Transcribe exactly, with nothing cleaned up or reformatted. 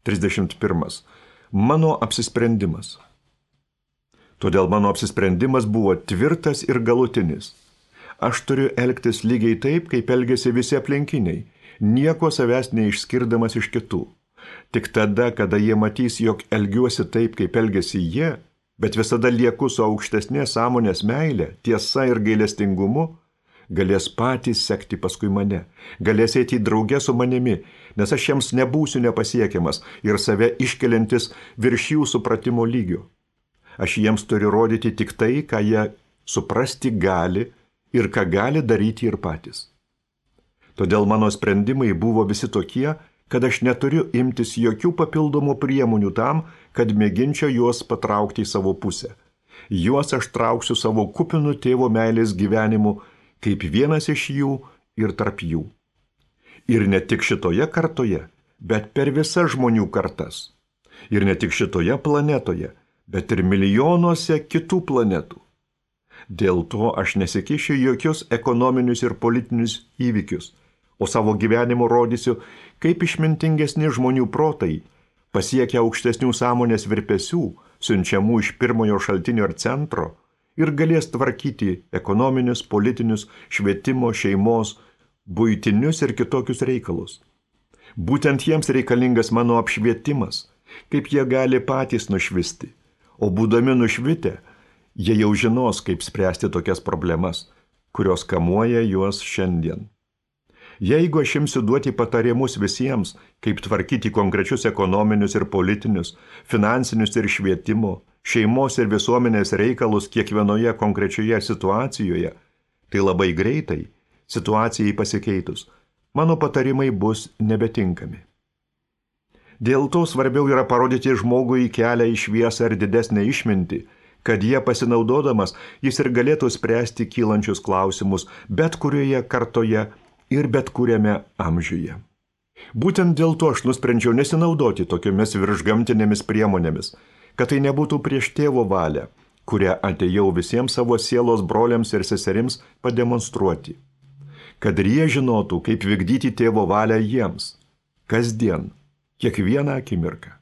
trisdešimt pirmas. Mano apsisprendimas. Todėl mano apsisprendimas buvo tvirtas ir galutinis. Aš turiu elgtis lygiai taip, kaip elgėsi visi aplinkiniai, nieko savęs neišskirdamas iš kitų. Tik tada, kada jie matys, jog elgiuosi taip, kaip elgėsi jie, bet visada lieku su aukštesnės sąmonės meilė, tiesa ir gailestingumu, galės patys sekti paskui mane, galės eiti drauge su manimi, nes aš jiems nebūsiu nepasiekiamas ir save iškeliantis virš jų supratimo lygio. Aš jiems turiu rodyti tik tai, ką jie suprasti gali ir ką gali daryti ir patys. Todėl mano sprendimai buvo visi tokie, kad aš neturiu imtis jokių papildomų priemonių tam, kad mėginčiau juos patraukti į savo pusę. Juos aš trauksiu savo kupinų tėvo meilės gyvenimu, kaip vienas iš jų ir tarp jų. Ir ne tik šitoje kartoje, bet per visas žmonių kartas. Ir ne tik šitoje planetoje, bet ir milijonuose kitų planetų. Dėl to aš nesikišiu jokius ekonominius ir politinius įvykius, o savo gyvenimu rodysiu, kaip išmintingesni žmonių protai pasiekia aukštesnių sąmonės virpesių, siunčiamų iš pirmojo šaltinio ir centro, ir galės tvarkyti ekonominius, politinius, švietimo, šeimos, buitinius ir kitokius reikalus. Būtent jiems reikalingas mano apšvietimas, kaip jie gali patys nušvisti. O būdami nušvitę, jie jau žinos, kaip spręsti tokias problemas, kurios kamuoja juos šiandien. Jeigu aš imsiu duoti patarimus visiems, kaip tvarkyti konkrečius ekonominius ir politinius, finansinius ir švietimo, šeimos ir visuomenės reikalus kiekvienoje konkrečioje situacijoje, tai labai greitai, situacijai pasikeitus, mano patarimai bus nebetinkami. Dėl to svarbiau yra parodyti žmogui kelią į šviesą ir didesnę išmintį, kad jie pasinaudodamas jis ir galėtų spręsti kylančius klausimus bet kurioje kartoje ir bet kuriame amžiuje. Būtent dėl to aš nusprendžiau nesinaudoti tokiomis viršgamtinėmis priemonėmis, kad tai nebūtų prieš tėvo valią, kurią atėjau visiems savo sielos broliams ir seserims pademonstruoti. Kad ir jie žinotų, kaip vykdyti tėvo valią jiems, kasdien, kiekvieną akimirką.